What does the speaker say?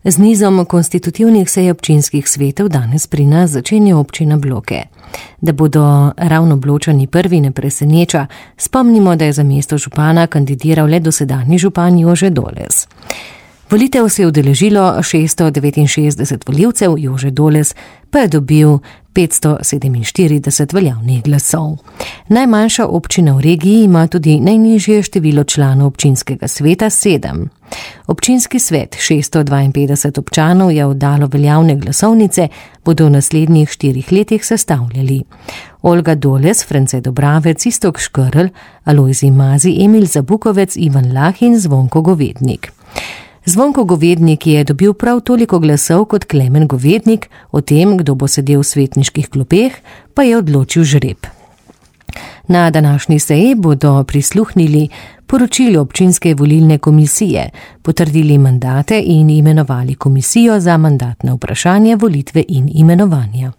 Z nizom konstitutivnih sej občinskih svetov danes pri nas začenja občina Bloke. Da bodo ravno Bločani prvi, ne preseneča, spomnimo, da je za mesto župana kandidiral le dosedanji župan Jože Doles. Volitev se je udeležilo 669 volivcev, Jože Doles pa je dobil 547 veljavnih glasov. Najmanjša občina v regiji ima tudi najnižje število članov občinskega sveta 7. Občinski svet 652 občanov je oddalo veljavne glasovnice, bodo v naslednjih 4 letih sestavljali Olga Doles, France Dobravec, Iztok Škrl, Alojzij Mazi, Emil Zabukovec, Ivan Lah in Zvonko Govednik. Zvonko Govednik je dobil prav toliko glasov kot Klemen Govednik, o tem, kdo bo sedel v svetniških klopeh, pa je odločil žreb. Na današnji seji bodo prisluhnili poročilu občinske volilne komisije, potrdili mandate in imenovali komisijo za mandatne vprašanja, volitve in imenovanja.